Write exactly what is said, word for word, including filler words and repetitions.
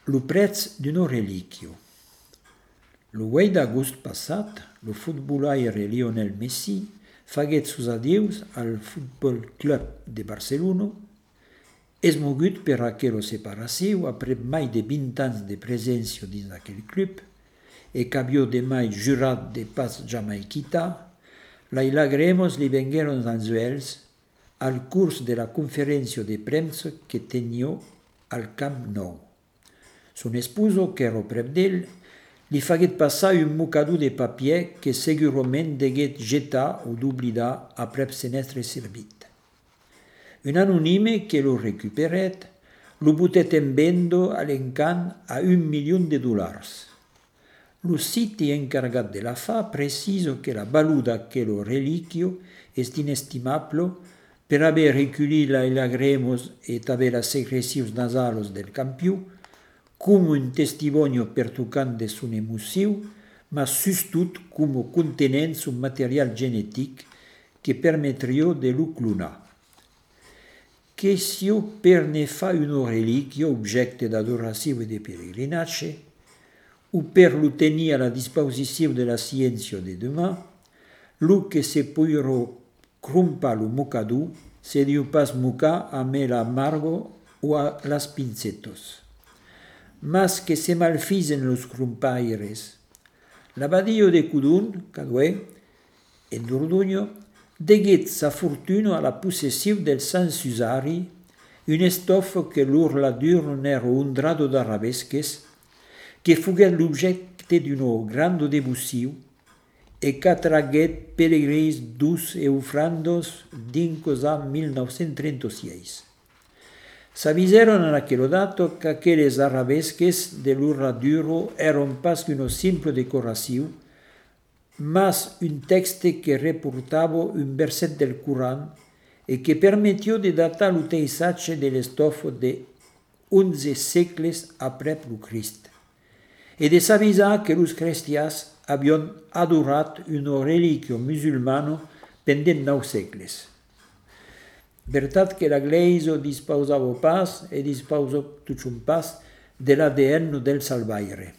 lo prezzo di un reliquio. Lo due d'agosto passato, lo footballaire Lionel Messi faguet sus adieus al Football Club de Barcelona, esmogut per aquella separació après mai de vint anys de presència dins aquell club, e qu'avió de mai jurat de pas jamais quitar, les lagremos li vengueron als uells al curs de la conferència de premsa que tenia al Camp Nou. Son esposo, que era prop d'ell, li faguet passar un mocador de papier que segurament deguet jetar o d'oblidar après se n'être servit. Un anonime que lo recuperet, lo butet en vendo a l'encant a un milió de dollars. Lo siti encargat de la fa preciso que la valuda d'aquel reliquio est inestimable per haver recollit les lagremos e també les secrecions nasals del campió, com un testimonio pertucant de son emoció, ma sustut com contenent un material genetic que permetria de lo clonar. Question per ne fa un reliquio objecte d'adoració e de peregrinatge, o per lo tenir a la disposició de la ciència de demà, lo que se podrà crompar lo mocador se diu pas mocar amb l'amargo o a las pincetos. Mas que se malfisen los crompaires. L'abadio de Cudun, Caduè, en Dordogne, deguet sa fortuna a la possessió del Sant Susari, un estofo que l'orladur n'era un drado d'arabesques, que fuguet l'objecte d'una grande devoció e qu'atraguet pelegrins dus e ofrandos dins a mil nou-cents trenta-sis. S'aviseron en aquel dato que aquelles arabesques de l'orladuro eran pas una simple decoració, mas un texte que reportava un verset del Coran e que permitió de datar lo paisatge de l'estofo de onze segles après lo Crist, e de s'avisar que los cristians havien adorat un reliquio musulmano pendent nou segles. Veritat que la Glesia disposava pas e disposa tot un pas de l'A D N del salvaire.